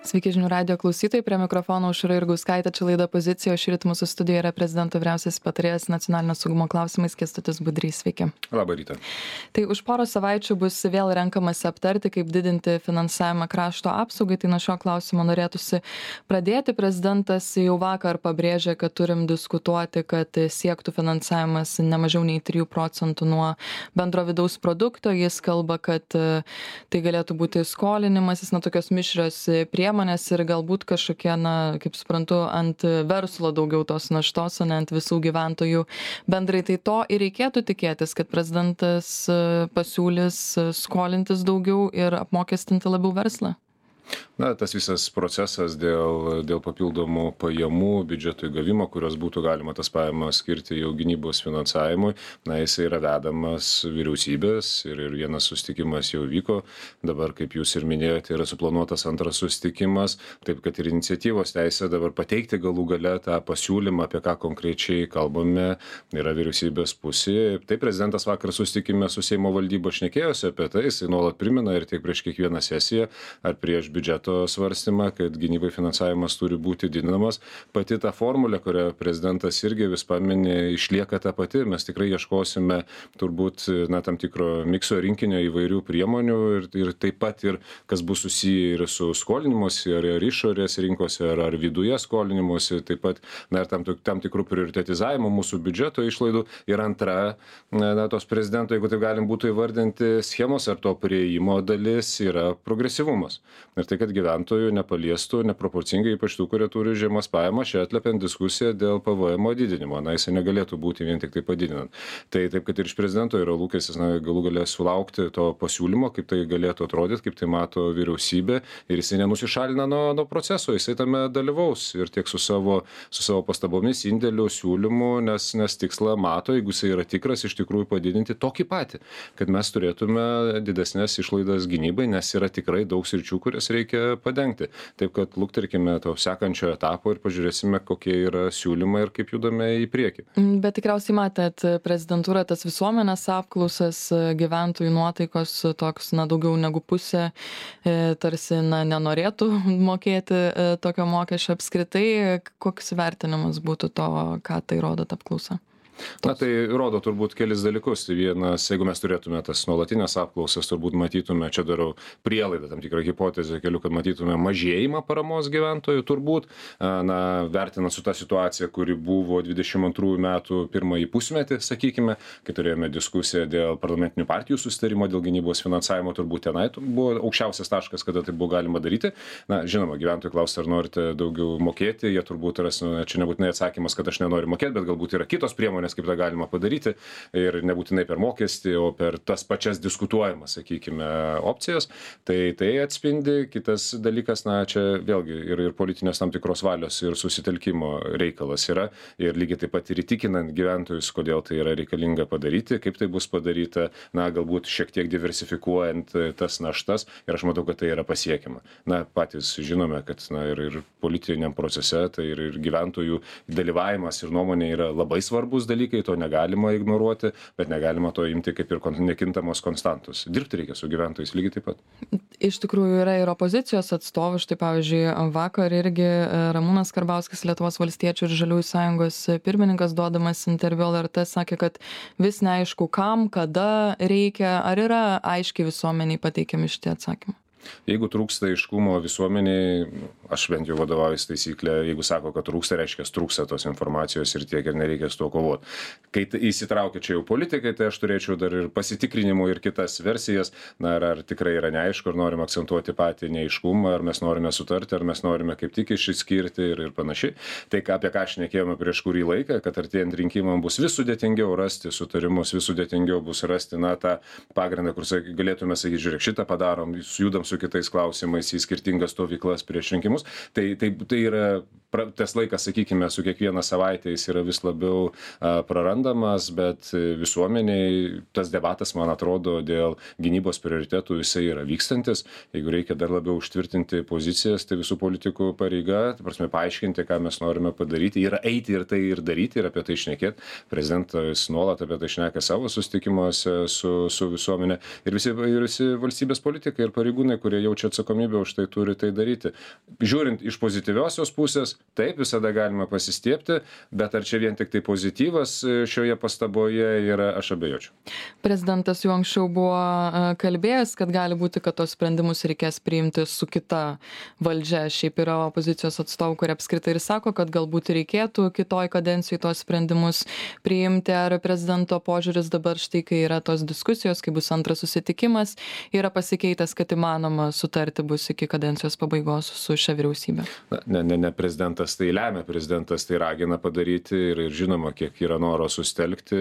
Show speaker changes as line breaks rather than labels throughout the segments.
Sveiki žinių radijo klausytojai, prie mikrofono Aušra Jurgauskaitė, čia laida Pozicija, o šįryt mūsų studijoje yra prezidento vyriausiasis patarėjas nacionalinio saugumo klausimais Kęstutis Budrys. Sveiki.
Labą rytą.
Tai už porą savaičių bus vėl renkamasi aptarti, kaip didinti finansavimą krašto apsaugai. Tai nuo šio klausimo norėtųsi pradėti. Prezidentas jau vakar pabrėžė, kad turim diskutuoti, kad siektų finansavimas ne mažiau nei 3% nuo bendro vidaus produkto. Jis kalba, kad tai galėtų būti skolinimasis, tokios mišrios priemonės ir galbūt kažkokie, kaip suprantu, ant verslo daugiau tos naštos, o ne ant visų gyventojų bendrai. Tai to ir reikėtų tikėtis, kad prezidentas pasiūlys skolintis daugiau ir apmokestinti labiau verslą.
Tas visas procesas dėl papildomų pajamų biudžeto įgavimo, kurios būtų galima tas pajamas skirti jau gynybos finansavimui, jis yra vedamas vyriausybės ir vienas susitikimas jau vyko. Dabar, kaip jūs ir minėjote, yra suplanuotas antras susitikimas, taip kad ir iniciatyvos teisė dabar pateikti galų gale tą pasiūlymą, apie ką konkrečiai kalbame, yra vyriausybės pusėje. Taip, prezidentas vakar susitikime su Seimo valdyba šnekėjosi apie tai, jisai nuolat primena ir tiek prieš kiekvieną sesiją ar prieš biudžeto svarstymą, kad gynybai finansavimas turi būti didinamas. Pati ta formulė, kurią prezidentas irgi vis paminė, išlieka ta pati. Mes tikrai ieškosime turbūt tam tikro mikso rinkinio įvairių priemonių ir taip pat ir kas bus susiję ir su skolinimuose, ar išorės rinkose, ar viduje skolinimuose, taip pat ir tam tikrų prioritetizavimo mūsų biudžeto išlaidų. Ir antra, tos prezidento, jeigu taip galim būtų įvardinti schemos ar to prieimo dalis, yra progresyvumas. Ir tai, kad gyventojų nepaliestų neproporcingai, ypač tų, kurie turi žemas pajamas, čia atlepiant diskusiją dėl PVM didinimo. Jis negalėtų būti vien tik tai padidinant. Tai taip, kad ir iš prezidento yra lūkestis galų galę sulaukti to pasiūlymo, kaip tai galėtų atrodyti, kaip tai mato vyriausybė, ir jisai nenusišalina nuo proceso, jisai tame dalyvaus ir tiek su savo pastabomis, indėlių, siūlymų, nes tikslą mato, jeigu jisai yra tikras, iš tikrųjų padidinti tokį patį, kad mes turėtume didesnės išlaidas gynybai, nes yra tikrai daug sričių, kurias reikia padengti. Taip, kad lukterkime to sekančio etapo ir pažiūrėsime, kokie yra siūlymai ir kaip judame į priekį.
Bet tikriausiai matėt prezidentūrą tas visuomenės apklausas, gyventojų nuotaikos toks, daugiau negu pusė tarsi nenorėtų mokėti tokio mokesčio apskritai. Koks vertinimas būtų to, ką tai rodo ta apklausa?
Tai rodo turbūt kelis dalykus. Vienas, jeigu mes turėtume tas nuolatinės apklausas, turbūt matytume, čia darau prielaidą, tam tikrą hipotezę keliu, kad matytume mažėjimą paramos gyventojų, turbūt, vertinant su tą situaciją, kuri buvo 22 metų pirmąjį pusmetį, sakykime, kai turėjome diskusiją dėl parlamentinių partijų susitarimo, dėl gynybos finansavimo, turbūt tenai buvo aukščiausias taškas, kada tai buvo galima daryti. Žinoma, gyventojų klausia, ar norite daugiau mokėti, jie turbūt ras, čia nebūtinai atsakymas, kad aš nenoriu mokėti, bet galbūt yra kitos priemonės, kaip tą galima padaryti, ir nebūtinai per mokestį, o per tas pačias diskutuojamas, sakykime, opcijas. Tai atspindi. Kitas dalykas, čia vėlgi ir politinės tam tikros valios ir susitelkimo reikalas yra, ir lygiai taip pat ir įtikinant gyventojus, kodėl tai yra reikalinga padaryti, kaip tai bus padaryta, galbūt šiek tiek diversifikuojant tas naštas, ir aš matau, kad tai yra pasiekiama. Patys žinome, kad ir politiniam procese, tai ir gyventojų dalyvavimas ir nuomonė yra labai svarbus dalykai, to negalima ignoruoti, bet negalima to imti kaip ir nekintamos konstantos. Dirbti reikia su gyventojais lygiai taip pat.
Iš tikrųjų yra ir opozicijos atstovų, štai pavyzdžiui, vakar irgi Ramūnas Karbauskis, Lietuvos valstiečių ir žaliųjų sąjungos pirmininkas, duodamas interviu LRT, sakė, kad vis neaišku kam, kada reikia, ar yra aiškiai visuomeniai pateikiami šitie atsakymai.
Jeigu trūksta aiškumo visuomeniai, aš bent jau vadovaujuosi taisyklę, jeigu sako, kad trūksta, reiškia, trūksta tos informacijos ir tiek, ir nereikia su tuo kovoti. Kai įsitraukia čia jau politikai, tai aš turėčiau dar ir pasitikrinimų ir kitas versijas, ar tikrai yra neaišku, ar norim akcentuoti patį neaiškumą, ar mes norime sutarti, ar mes norime kaip tik išskirti ir panašiai. Tai apie ką šnekėjome prieš kurį laiką, kad artėjant rinkimam bus vis sudėtingiau rasti sutarimus, vis sudėtingiau bus rasti tą pagrindą, kur galėtume sakyti, žiūrėk, šitą padarom, judam su kitais klausimais į skirtingas stovyklas prieš rinkimus. sprendimus. Tai yra tas laikas, sakykime, su kiekviena savaitė jis yra vis labiau prarandamas, bet visuomeniai tas debatas, man atrodo, dėl gynybos prioritetų jisai yra vykstantis. Jeigu reikia dar labiau užtvirtinti pozicijas, tai visų politikų pareiga, ta prasme, paaiškinti, ką mes norime padaryti, yra eiti ir tai ir daryti ir apie tai šnekėti. Prezidentas nuolat apie tai šneka savo susitikimuose su visuomenė ir visi valstybės politikai ir pareigūnai, kurie jaučia atsakomybę už tai, turi tai daryti. Žiūrint iš pozityviosios pusės, taip, visada galima pasistiebti, bet ar čia vien tik tai pozityvas šioje pastaboje yra, aš abejočiau.
Prezidentas jau anksčiau buvo kalbėjęs, kad gali būti, kad tos sprendimus reikės priimti su kita valdžia. Šiaip yra opozicijos atstovų, kurie apskritai ir sako, kad galbūt reikėtų kitoj kadencijai tos sprendimus priimti. Ar prezidento požiūris dabar štai, kai yra tos diskusijos, kai bus antras susitikimas, yra pasikeitęs, kad įmanoma sutarti bus iki kadencijos pabaigos su šia vyriausybė?
Ne prezidentas tai lemia, prezidentas tai ragina padaryti ir žinoma, kiek yra noro sustelkti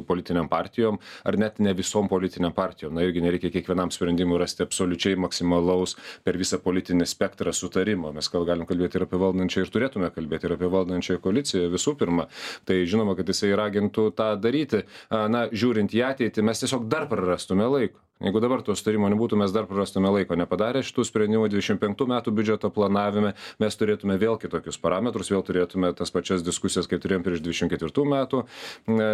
politiniam partijom, ar net ne visom politiniam partijom. Na, irgi nereikia kiekvienam sprendimui rasti absoliučiai maksimalaus per visą politinį spektrą sutarimo. Mes galim kalbėti ir apie valdančią ir turėtume kalbėti ir apie valdančią koaliciją visų pirma. Tai žinoma, kad jisai ragintų tą daryti. Na, žiūrint į ateitį, mes tiesiog dar prarastume laiko. Jeigu dabar to sutarimo nebūtų, mes dar prarastume laiko. Nepadarę šitų sprendimų 25 metų biudžeto planavime, mes turėtume vėl kitokius parametrus, vėl turėtume tas pačias diskusijas, kaip turėjom prieš 24 metų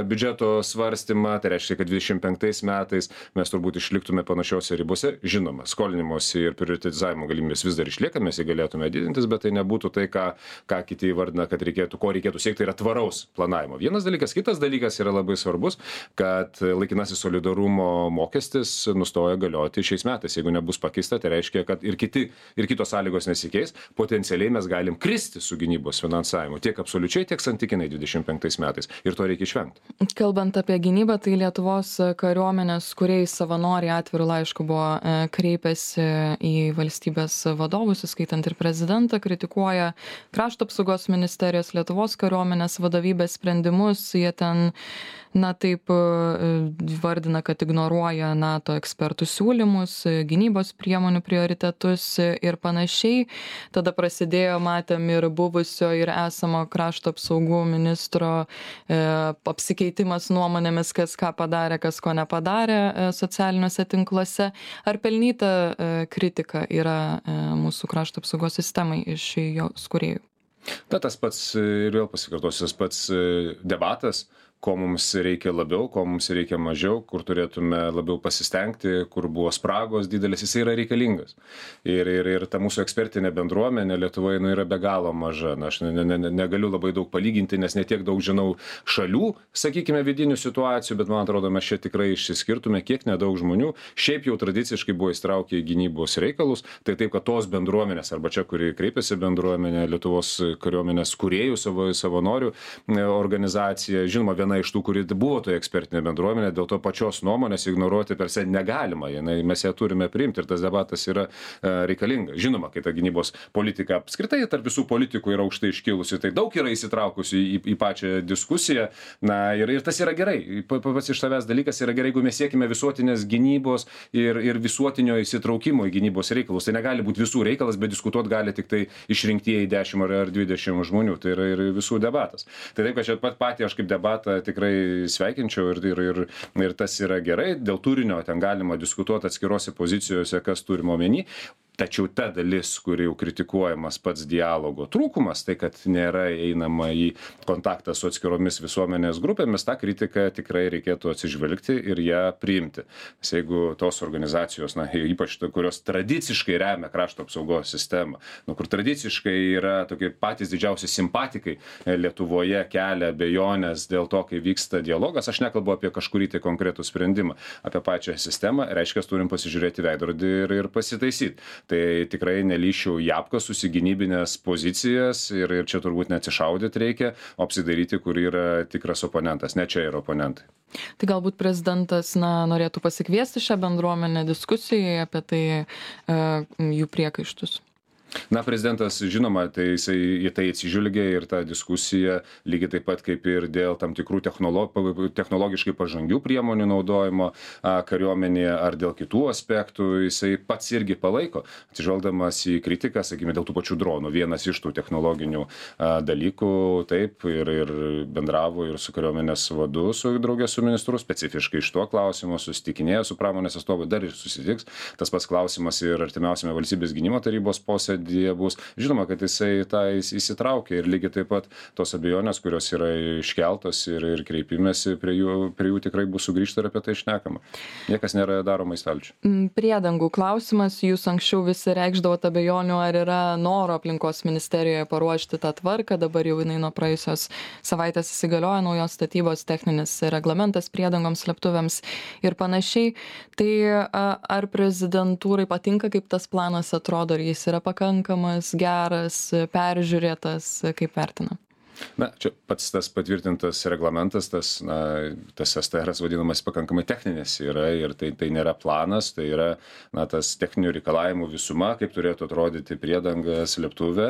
biudžeto svarstymą. Tai reiškia, kad 25 metais mes turbūt išliktume panašiose ribose. Žinoma, skolinimosi ir prioritizavimo galimybės vis dar išlieka, mes jį galėtume didintis, bet tai nebūtų tai, ką kiti įvardina, kad ko reikėtų siekti, tai yra tvaraus planavimo. Vienas dalykas, kitas dalykas yra labai svarbus, kad laikinasis solidarumo mokestis nustoja galioti šiais metais. Jeigu nebus pakeista, tai reiškia, kad ir kitos sąlygos nesikeis, potencialiai mes galim kristi su gynybos finansavimu, tiek absoliučiai, tiek santykinai 25 metais. Ir to reikia išvengti.
Kalbant apie gynybą, tai Lietuvos kariuomenės kūrėjai savanoriai atvirų laiškų buvo kreipęsi į valstybės vadovus, įskaitant ir prezidentą, kritikuoja Krašto apsaugos ministerijos, Lietuvos kariuomenės vadovybės sprendimus. Jie ten taip vardina, kad ignoruoja NATO ekspertų siūlymus, gynybos priemonių prioritetus ir panašiai. Tada prasidėjo, matėm, ir buvusio ir esamo krašto apsaugų ministro apsikeitimas nuomonėmis, kas ką padarė, kas ko nepadarė socialiniuose tinkluose. Ar pelnyta kritika yra mūsų krašto apsaugos sistemai iš jos kūrėjų?
Tas pats, ir vėl pasikartosiu, tas pats debatas, ko mums reikia labiau, ko mums reikia mažiau, kur turėtume labiau pasistengti, kur buvo spragos didelis, jis yra reikalingas. Ir ta mūsų ekspertinė bendruomenė Lietuvoje yra be galo maža. Na, aš negaliu labai daug palyginti, nes netiek daug žinau šalių, sakykime, vidinių situacijų, bet man atrodo, mes čia tikrai išsiskirtume, kiek nedaug žmonių šiaip jau tradiciškai buvo įstraukę į gynybos reikalus. Tai taip, kad tos bendruomenės, arba čia, kuri kreipiasi bendruomenė, Lietuvos kariuomenės kūrėjų, savanorių organizacija, žinoma, viena iš tų, kuri buvo toje ekspertinė bendruomenė, dėl to pačios nuomonės ignoruoti per se negalima. Mes ją turime priimti ir tas debatas yra reikalingas. Žinoma, kai ta gynybos politika apskritai tarp visų politikų yra aukštai iškilusi, tai daug yra įsitraukusi į pačią diskusiją. Na, ir tas yra gerai. Pats iš savęs dalykas yra gerai, jeigu mes siekime visuotinės gynybos ir visuotinio įsitraukimo į gynybos reikalus. Tai negali būti visų reikalas, bet diskutuoti gali tik tai išrinktieji 10 ar 20 žmonių. Tai yra ir visų debatas. Tai taip, kad čia patį aš kaip debatą tikrai sveikinčiau ir tas yra gerai. Dėl turinio ten galima diskutuoti atskirose pozicijose, kas turima omeny. Tačiau ta dalis, kuri jau kritikuojamas pats dialogo trūkumas, tai kad nėra einama į kontaktą su atskiromis visuomenės grupėmis, tą kritiką tikrai reikėtų atsižvelgti ir ją priimti. Nes jeigu tos organizacijos, ypač kurios tradiciškai remia krašto apsaugos sistemą, kur tradiciškai yra tokie patys didžiausi simpatikai Lietuvoje, kelia abejonės dėl to, kai vyksta dialogas, aš nekalbu apie kažkurį tai konkretų sprendimą, apie pačią sistemą, reiškia, turim pasižiūrėti veidrodį ir pasitaisyti. Tai tikrai nelyšiau į apkas susigynybinės pozicijas ir čia turbūt neatsišaudyti reikia, o apsidaryti, kur yra tikras oponentas. Ne čia yra oponentai.
Tai galbūt prezidentas norėtų pasikviesti šią bendruomenę diskusijai apie tai jų priekaištus.
Na, prezidentas, žinoma, tai jisai į tai atsižvelgia ir ta diskusija, lygiai taip pat kaip ir dėl tam tikrų technologiškai pažangių priemonių naudojimo kariuomenėje ar dėl kitų aspektų, jisai pats irgi palaiko, atsižvelgdamas į kritiką, sakykime, dėl tų pačių dronų. Vienas iš tų technologinių dalykų, taip, ir bendravo ir su kariuomenės vadu, draugė su ministru, specifiškai iš to klausimo, susitikinėjo su pramonės atstovu, dar ir susitiks. Tas pats klausimas ir artimiausiame valstybės gynimo tarybos posėdyje bus. Žinoma, kad jisai tą įsitraukia ir lygiai taip pat tos abejonės, kurios yra iškeltos ir kreipimėsi, prie jų tikrai bus sugrįžta ir apie tai šnekama. Niekas nėra daroma į stalčių.
Priedangų klausimas, jūs anksčiau visi reikšdavote abejonių, ar yra noro aplinkos ministerijoje paruošti tą tvarką, dabar jau jinai nuo praėjusios savaitės įsigalioja naujos statybos techninis reglamentas priedangoms, slėptuvėms ir panašiai. Tai ar prezidentūrai patinka, kaip tas planas atrodo, ar jis yra pakankamas, geras, peržiūrėtas, kaip vertina?
Na, čia pats tas patvirtintas reglamentas, tas STRas vadinamas pakankamai techninis yra ir tai nėra planas, tai yra tas techninių reikalavimų visuma, kaip turėtų atrodyti priedanga, slėptuvė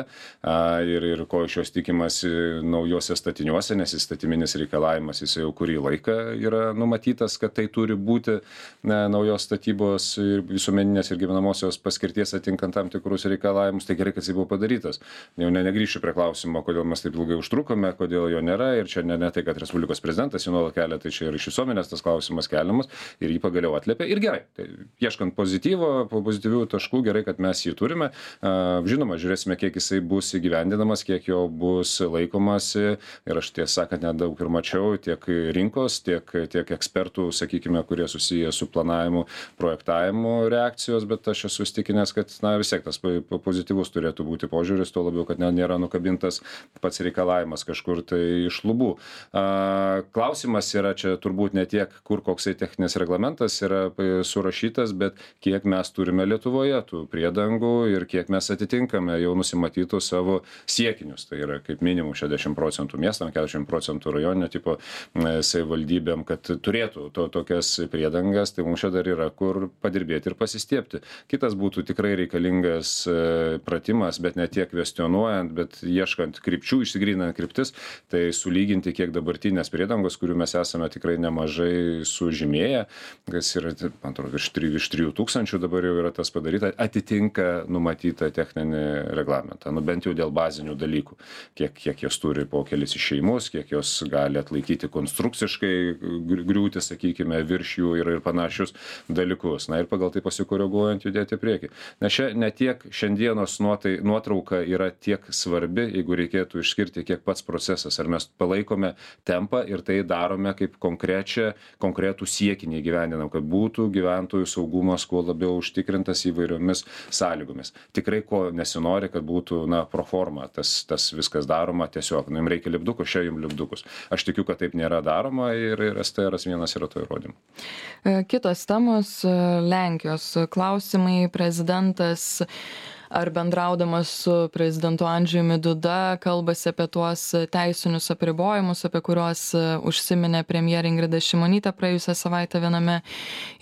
ir ko iš jos tikimasi naujose statiniuose, nes įstatyminis reikalavimas jis jau kurį laiką yra numatytas, kad tai turi būti naujos statybos ir visuomeninės ir gyvenamosios paskirties atinkant tam tikrus reikalavimus. Tai gerai, kad jis buvo padarytas. Jau negrįšiu prie klausimo, kodėl mes taip ilgai užtrukome, kodėl jo nėra ir čia ne tai, kad Respublikos prezidentas jį nuolat kelia, tai čia ir iš visuomenės tas klausimas keliamas ir jį pagaliau atliepia ir gerai. Tai ieškant pozityvių taškų, gerai, kad mes jį turime. Žinoma, žiūrėsime, kiek jisai bus įgyvendinamas, kiek jo bus laikomasi ir aš tiesą sakant nedaug ir mačiau tiek rinkos, tiek ekspertų, sakykime, kurie susiję su planavimu, projektavimu reakcijos, bet aš esu įstikinęs, kad vis tiek tas pozityvus turėtų būti požiūris, tuo labiau, kad nėra nukabintas pats reikalavimas kažkur tai iš lubų. Klausimas yra čia turbūt ne tiek, kur koksai techninis reglamentas yra surašytas, bet kiek mes turime Lietuvoje tų priedangų ir kiek mes atitinkame jau nusimatytų savo siekinius. Tai yra kaip minimum 60% miestam, 40% rajoninio tipo savivaldybėm, kad turėtų tokias priedangas, tai mums čia dar yra kur padirbėti ir pasistiepti. Kitas būtų tikrai reikalingas pratimas, bet ne tiek kvestionuojant, bet ieškant krypčių, išsigryninant kryptis, tai sulyginti, kiek dabartinės priedangos, kurių mes esame tikrai nemažai sužymėję, kas yra, man atrodo, virš 3000 dabar jau yra tas padaryta, atitinka numatytą techninį reglamentą, bent jau dėl bazinių dalykų, kiek jos turi po kelis išėjimus, kiek jos gali atlaikyti konstrukciškai griūti, sakykime, virš jų ir panašius dalykus. Na ir pagal tai pasikoreguojant judėti į priekį. Nes čia ne tiek šiandienos nuotrauka yra tiek svarbi, jeigu reikėtų išskirti, kiek pats procesas, ar mes palaikome tempą ir tai darome kaip konkretų siekinį gyvendinam, kad būtų gyventojų saugumas kuo labiau užtikrintas įvairiomis sąlygomis. Tikrai ko nesinori, kad būtų pro forma tas viskas daroma tiesiog. Jums reikia lipdukus, čia jums lipdukus. Aš tikiu, kad taip nėra daroma ir STRas vienas yra to įrodymu.
Kitos temos, Lenkijos klausimai, prezidentas ar bendraudamas su prezidentu Andžejumi Duda kalbasi apie tuos teisinius apribojimus, apie kuriuos užsiminė premjerė Ingrida Šimonytė praėjusią savaitę viename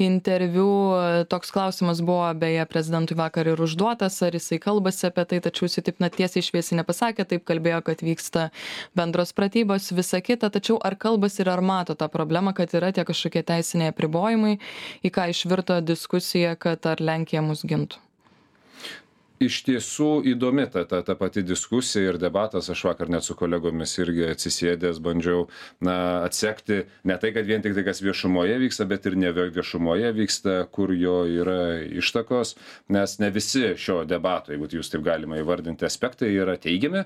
interviu. Toks klausimas buvo beje prezidentui vakar ir užduotas, ar jisai kalbasi apie tai, tačiau jisai taip tiesiai šviesiai nepasakė, taip kalbėjo, kad vyksta bendros pratybos, visa kita, tačiau ar kalbasi ir ar mato tą problemą, kad yra tie kažkokie teisiniai apribojimai, į ką išvirto diskusija, kad ar Lenkija mus gintų?
Iš tiesų įdomi ta pati diskusija ir debatas. Aš vakar net su kolegomis irgi atsisėdęs bandžiau atsekti ne tai, kad vien tik tai, kas viešumoje vyksta, bet ir ne viešumoje vyksta, kur jo yra ištakos, nes ne visi šio debato, jeigu jūs taip galima įvardinti, aspektai yra teigiami,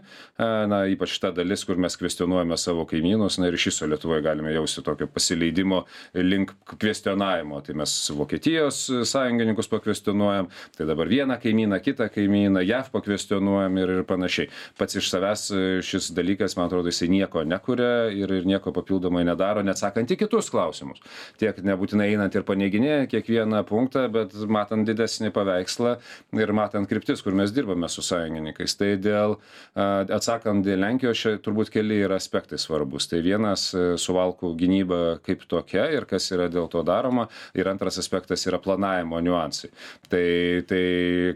ypač ta dalis, kur mes kvestionuojame savo kaimynus, ir iš viso Lietuvoje galime jausti tokio pasileidimo link kvestionavimo. Tai mes Vokietijos sąjungininkus pakvestionuojam, tai dabar vieną kaimyną, kitą kaimyną, JAV pakvestionuojam ir panašiai. Pats iš savęs šis dalykas, man atrodo, jisai nieko nekuria ir nieko papildomai nedaro, neatsakant į kitus klausimus. Tiek nebūtinai einant ir paneiginėję kiekvieną punktą, bet matant didesnį paveikslą ir matant kryptis, kur mes dirbame su sąjungininkais. Tai atsakant dėl Lenkijos, čia turbūt keli yra aspektai svarbus. Tai vienas suvalkų gynyba kaip tokia ir kas yra dėl to daroma. Ir antras aspektas yra planavimo niuansai. Tai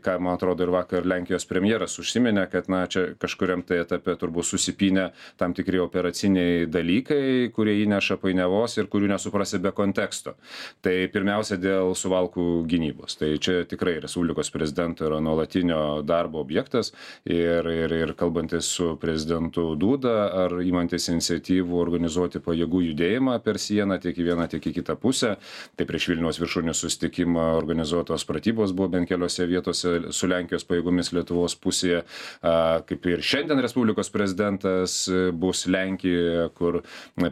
ką, man atrodo, ir ir vakar Lenkijos premjeras užsiminė, kad čia kažkuriam tai etape turbūt susipynė tam tikri operaciniai dalykai, kurie įneša painiavos ir kurių nesuprasi be konteksto. Tai pirmiausia dėl suvalkų gynybos. Tai čia tikrai Respublikos prezidento yra nuolatinio darbo objektas ir kalbantis su prezidentu Dūda ar imantis iniciatyvų organizuoti pajėgų judėjimą per sieną tiek į vieną, tiek į kitą pusę. Tai prieš Vilniaus viršūnių susitikimą organizuotos pratybos buvo bent keliose vietose su Lenkijos pajėgomis Lietuvos pusėje. Kaip ir šiandien Respublikos prezidentas bus Lenkijoje, kur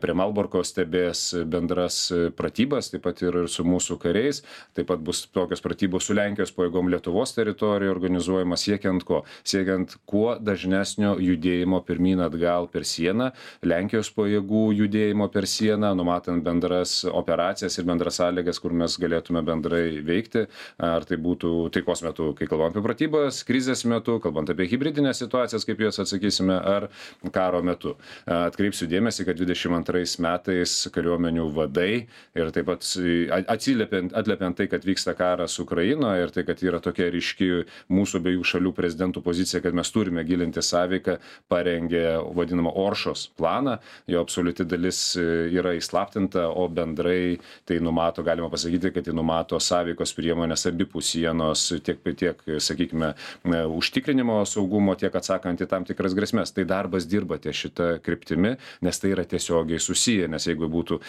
prie Malborko stebės bendras pratybas, taip pat ir su mūsų kariais. Taip pat bus tokios pratybos su Lenkijos pajėgom Lietuvos teritorijoje organizuojamas siekiant ko? Siekiant kuo dažnesnio judėjimo pirmyn atgal per sieną, Lenkijos pajėgų judėjimo per sieną, numatant bendras operacijas ir bendras sąlygas, kur mes galėtume bendrai veikti. Ar tai būtų taikos metu, kai kalbam apie pratybas, krizės metu, kalbant apie hibridinės situacijas, kaip jas atsakysime, ar karo metu. Atkreipsiu dėmesį, kad 22 metais kariuomenių vadai ir taip pat atliepiant tai, kad vyksta karas Ukrainoje ir tai, kad yra tokia ryški mūsų abiejų šalių prezidentų pozicija, kad mes turime gilinti sąveiką, parengė vadinamą Oršos planą. Jo absoliuti dalis yra įslaptinta, o bendrai tai numato, galima pasakyti, kad tai numato sąveikos priemonės abipus sienos tiek, sakykime, užtikrinimo saugumo, tiek atsakant į tam tikras grėsmės. Tai darbas dirba ties šitą kryptimi, nes tai yra tiesiogiai susiję, nes jeigu būtų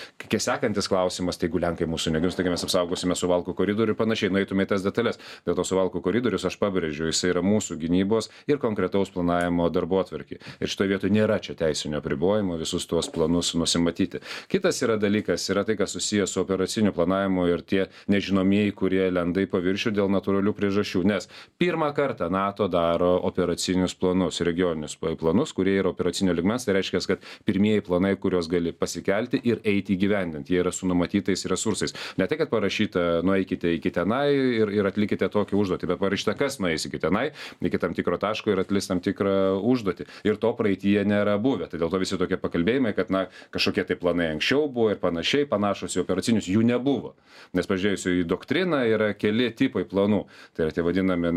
sekantis klausimas, tai jeigu Lenkai mūsų negins, taigi mes apsaugosime Suvalkų koridorių ir panašiai, nueitume į tas detalės. Dėl to Suvalkų koridorius, aš pabrėžiu, jis yra mūsų gynybos ir konkretaus planavimo darbotvarkė. Ir šitoje vietoje nėra čia teisinio apribojimo visus tuos planus nusimatyti. Kitas yra dalykas, yra tai, kas susijęs su operaciniu planavimu ir tie nežinomieji, kurie lenda į paviršių dėl natūralių priežasčių. Nes pirmą kartą NATO daro operacinius planus, regioninius planus, kurie yra operacinio lygmens. Tai reiškia, kad pirmieji planai, kuriuos gali pasikelti ir eiti įgyvendinti, jie yra su numatytais resursais. Ne tai, kad parašyta, nueikite iki tenai ir atlikite tokį užduotį, bet parašyta, kas nueis iki tenai, iki tam tikro taško ir atlis tam tikrą užduotį. Ir to praeityje nėra buvę. Tai dėl to visi tokie pakalbėjimai, kad kažkokie tai planai anksčiau buvo ir panašiai, panašus į operacinius, jų nebuvo. Nes pažiūrėjusiu į doktriną yra keli tipai planų. Tai yra tie vadinami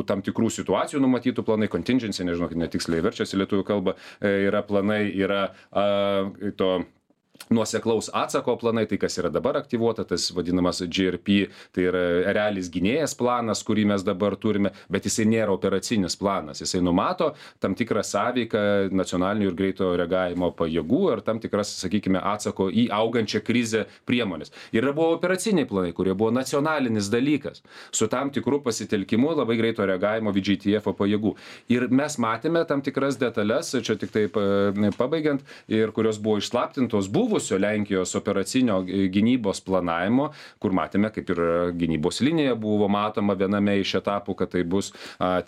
tam tikrų situacijų numatytų planai, contingency, nežinau, netiksliai verčiasi lietuvių kalba, yra planai, yra to nuoseklaus atsako planai, tai kas yra dabar aktyvuota, tas vadinamas GRP, tai yra realis gynėjas planas, kurį mes dabar turime, bet jisai nėra operacinis planas. Jisai numato tam tikrą sąveiką nacionalinių ir greito reagavimo pajėgų ir tam tikras, sakykime, atsako į augančią krizę priemonės. Ir buvo operaciniai planai, kurie buvo nacionalinis dalykas, su tam tikrų pasitelkimu labai greito reagavimo VJTF pajėgų. Ir mes matėme tam tikras detalės, čia tik taip pabaigiant, ir kurios buvo išslaptintos, buvusio Lenkijos operacinio gynybos planavimo, kur matėme, kaip ir gynybos linija buvo matoma viename iš etapų, kad tai bus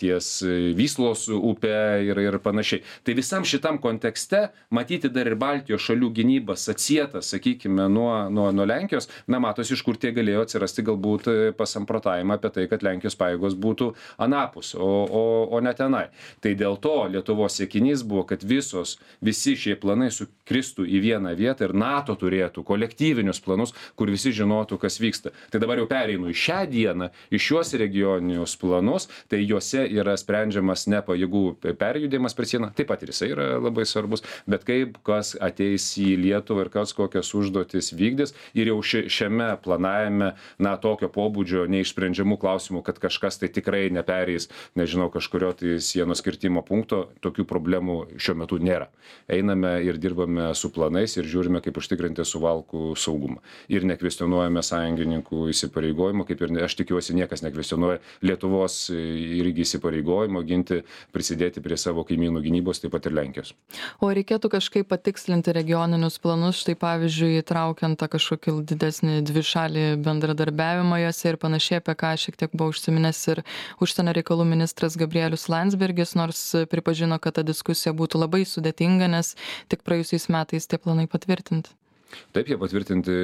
ties Vyslos upė ir panašiai. Tai visam šitam kontekste matyti dar ir Baltijos šalių gynybas atsietas, sakykime, nuo Lenkijos, matosi, iš kur tie galėjo atsirasti galbūt pasamprotavimą apie tai, kad Lenkijos pajėgos būtų anapus, o ne tenai. Tai dėl to Lietuvos siekinys buvo, kad visi šie planai sukristų į vieną vietą ir NATO turėtų kolektyvinius planus, kur visi žinotų, kas vyksta. Tai dabar jau pereinu į šią dieną, į šiuos regioninius planus, tai juose yra sprendžiamas ne pajėgų perjudėjimas per sieną, taip pat ir jisai yra labai svarbus, bet kaip kas ateis į Lietuvą ir kas kokias užduotis vykdys ir jau šiame planavime, tokio pobūdžio neišsprendžiamų klausimų, kad kažkas tai tikrai nepereis, nežinau, kažkurio tai sienos kirtimo punkto, tokių problemų šiuo metu nėra. Einame ir dirbame su planais ir žiūrime, kaip užtikrinti Suvalkų saugumą. Ir nekvestionuojame sąjungininkų įsipareigojimų, kaip ir aš tikiuosi niekas nekvestionuoja Lietuvos irgi įsipareigojimo ginti, prisidėti prie savo kaimynų gynybos, taip pat ir Lenkijos.
O reikėtų kažkaip patikslinti regioninius planus, štai pavyzdžiui, įtraukiant tą kažkokį didesnį dvišalį bendradarbiavimą juose ir panašiai, apie ką šiek tiek buvo užsiminęs ir užsienio reikalų ministras Gabrielius Landsbergis, nors pripažino, kad ta diskusija būtų labai sudėtinga, nes tik praėjusiais metais tie planai patvirtinti.
Taip, jie patvirtinti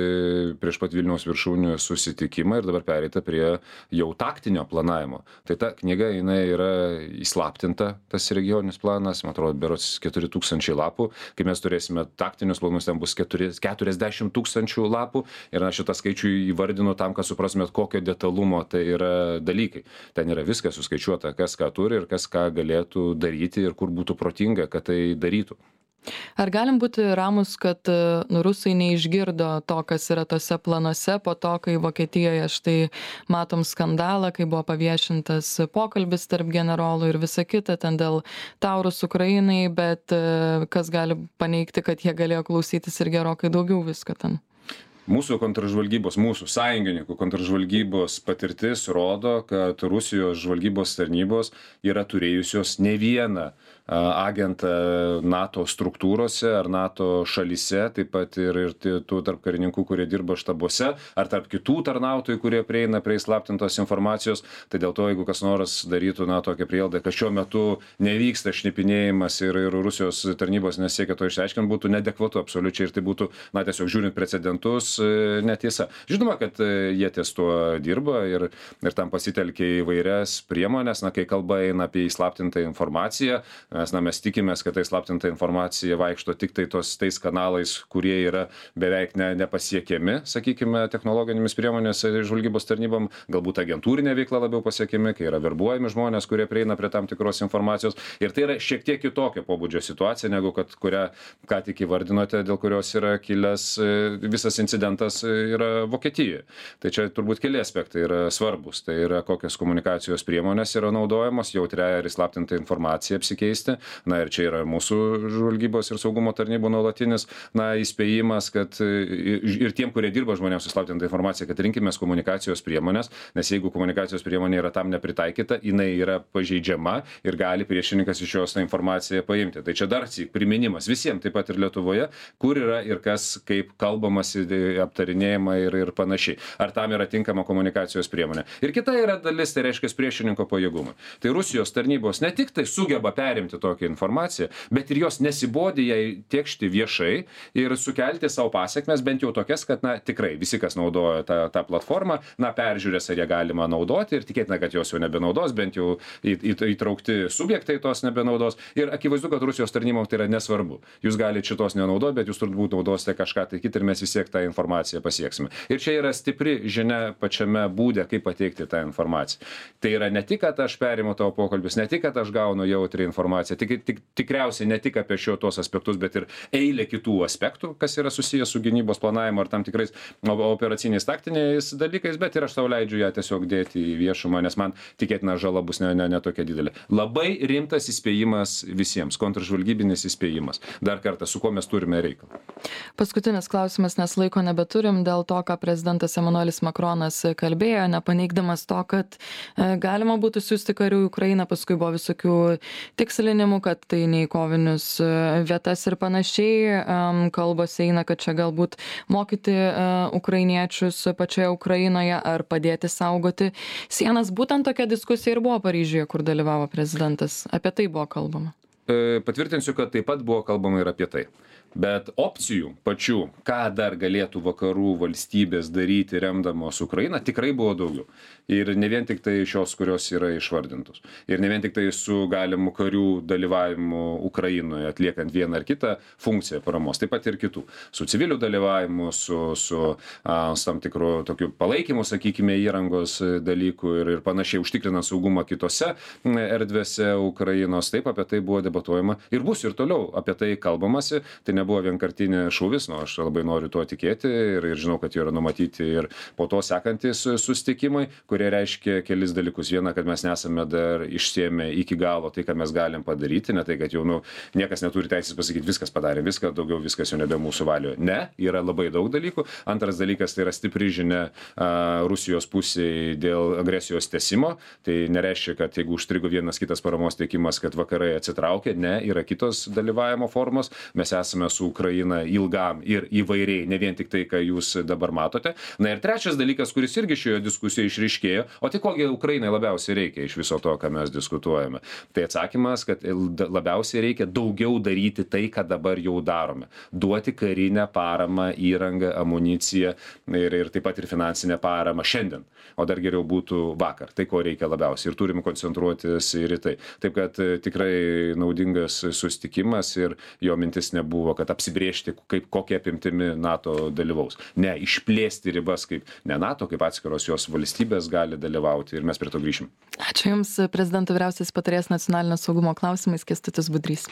prieš pat Vilniaus viršūnių susitikimą ir dabar pereita prie jau taktinio planavimo. Tai ta knyga, jinai yra įslaptinta, tas regioninis planas, man atrodo, berods 4000 lapų. Kai mes turėsime taktinius planus, ten bus 40 000 lapų. Ir aš šitą skaičių įvardinu tam, kad suprasmėt, kokio detalumo tai yra dalykai. Ten yra viskas suskaičiuota, kas ką turi ir kas ką galėtų daryti ir kur būtų protinga, kad tai darytų.
Ar galim būti ramus, kad rusai neišgirdo to, kas yra tose planuose po to, kai Vokietijoje štai matom skandalą, kai buvo paviešintas pokalbis tarp generolų ir visa kita ten dėl Taurus Ukrainai, bet kas gali paneigti, kad jie galėjo klausytis ir gerokai daugiau visko ten?
Mūsų kontržvalgybos, mūsų sąjungininkų kontržvalgybos patirtis rodo, kad Rusijos žvalgybos tarnybos yra turėjusios ne vieną agentą NATO struktūrose ar NATO šalyse, taip pat ir tų tarp karininkų, kurie dirba štabuose, ar tarp kitų tarnautojų, kurie prieina prie įslaptintos informacijos. Tai dėl to, jeigu kas nors darytų tokią prielaidą, kad šiuo metu nevyksta šnipinėjimas ir Rusijos tarnybos nesiekia to išsiaiškinti, būtų neadekvatu absoliučiai ir tai būtų, tiesiog žiūrint precedentus, netiesa. Žinoma, kad jie ties tuo dirba ir tam pasitelkia įvairias priemonės, kai kalba eina apie įslaptintą informaciją, mes tikimės, kad tai slaptinta informacija vaikšto tik tai tais kanalais, kurie yra beveik nepasiekiami, sakykime, technologinėmis priemonės žvalgybos tarnybom, galbūt agentūrinė veikla labiau pasiekiami, kai yra verbuojami žmonės, kurie prieina prie tam tikros informacijos. Ir tai yra šiek tiek kitokio pobūdžio situacija, negu kurią ką tik įvardinote, dėl kurios yra kilęs visas incidentas yra Vokietijoje. Tai čia turbūt keli aspektai yra svarbus. Tai yra, kokios komunikacijos priemonės yra naudojamos, jautrią ir įslaptintą informaciją apsikeisti. Ir čia yra mūsų žvalgybos ir saugumo tarnybų nuolatinis įspėjimas, kad ir tiem, kurie dirba žmonėms įslaptintą informaciją, kad rinkimės komunikacijos priemonės, nes jeigu komunikacijos priemonė yra tam nepritaikyta, jinai yra pažeidžiama ir gali priešininkas iš jos tą informaciją paimti. Tai čia dar syk priminimas visiems, taip pat ir Lietuvoje, kur yra ir kas, kaip kalbamasi, aptarinėjama ir panašiai. Ar tam yra tinkama komunikacijos priemonė. Ir kita yra dalis, tai reiškia priešininko pajėgumai. Tai Rusijos tarnybos ne tik tai sugeba perimti tokią informaciją, bet ir jos nesibodi jai tiekšti viešai ir sukelti savo pasiekmes, bent jau tokias, kad tikrai visi, kas naudoja tą platformą, peržiūrės, ar ją galima naudoti ir tikėtina, kad jos jau nebenaudos, bent jau įtraukti subjektai tos nebenaudos. Ir akivaizdu, kad Rusijos tarnyboms tai yra nesvarbu. Jūs galite šitos nenaudoti, bet jūs turbūt naudosite kažką tai kitą ir mes vis tiek tą informaciją pasieksime. Ir čia yra stipri žinia pačiame būde, kaip pateikti tą informaciją. Tai yra ne tik, kad aš perimu tavo pokalbius, ne tik, kad aš gaunu jautrią informaciją, tikriausiai ne tik apie tuos aspektus, bet ir eilė kitų aspektų, kas yra susijęs su gynybos planavimu ar tam tikrais operaciniais taktiniais dalykais, bet ir aš savo leidžiu ją tiesiog dėti į viešumą, nes man tikėtina žala bus ne tokia didelė. Labai rimtas įspėjimas visiems, kontržvalgybinis įspėjimas. Dar kartą, su kuo mes turime reikalą.
Paskutinis klausimas, nes laiko nebeturim, dėl to, ką prezidentas Emanuelis Makronas kalbėjo, nepaneigdamas to, kad galima būtų siųsti karių į Ukrainą, paskui buvo visokių tikslinimų, kad tai ne į kovinius vietas ir panašiai. Kalbos eina, kad čia galbūt mokyti ukrainiečius pačioje Ukrainoje ar padėti saugoti sienas. Būtent tokia diskusija ir buvo Paryžiuje, kur dalyvavo prezidentas. Apie tai buvo kalbama.
Patvirtinsiu, kad taip pat buvo kalbama ir apie tai. Bet opcijų pačių, ką dar galėtų vakarų valstybės daryti remdamos Ukrainą, tikrai buvo daugiau. Ir ne vien tik tai šios, kurios yra išvardintos. Ir ne vien tik tai su galimu karių dalyvavimu Ukrainoje, atliekant vieną ar kitą funkciją paramos, taip pat ir kitų. Su civilių dalyvavimu, su tam tikru tokiu palaikymu, sakykime, įrangos dalykų ir panašiai užtikrinant saugumą kitose erdvėse Ukrainos. Taip, apie tai buvo debatuojama ir bus ir toliau apie tai kalbamasi. Tai nebuvo vienkartinė šūvis, aš labai noriu tuo tikėti ir žinau, kad yra numatyti ir po to sekantis susitikimai, kurie reiškia kelis dalykus. Viena, kad mes nesame dar išsiėmę iki galo tai, ką mes galim padaryti, ne tai, kad jau niekas neturi teisės pasakyti, viskas padarė, daugiau viskas jau nebe mūsų valioje. Ne, yra labai daug dalykų. Antras dalykas, tai yra stipri žinia Rusijos pusėje dėl agresijos tęsimo. Tai nereiškia, kad jeigu užstrigo vienas kitas paramos teikimas, kad vakarai atsitraukia. Ne, yra kitos dalyvavimo formos. Mes esame su Ukraina ilgam ir įvairiai, ne vien tik tai, ką jūs dabar matote. Na ir trečias dalykas, kuris irgi šioje diskusijoje išryškėjo, o tai kogi Ukrainai labiausiai reikia iš viso to, ką mes diskutuojame. Tai atsakymas, kad labiausiai reikia daugiau daryti tai, ką dabar jau darome. Duoti karinę paramą, įrangą, amuniciją ir taip pat ir finansinę paramą šiandien. O dar geriau būtų vakar. Tai, ko reikia labiausiai. Ir turim koncentruotis ir į tai. Taip, kad tikrai naudingas susitikimas ir jo mintis nebuvo, kad apsibriežti, kokia apimtimi NATO dalyvaus. Ne, išplėsti ribas, kaip ne NATO, kaip atskiros jos valstybės gali dalyvauti ir mes prie to grįšim.
Ačiū Jums, prezidento vyriausiasis patarėjas nacionalinio saugumo klausimais Kęstutis Budrys.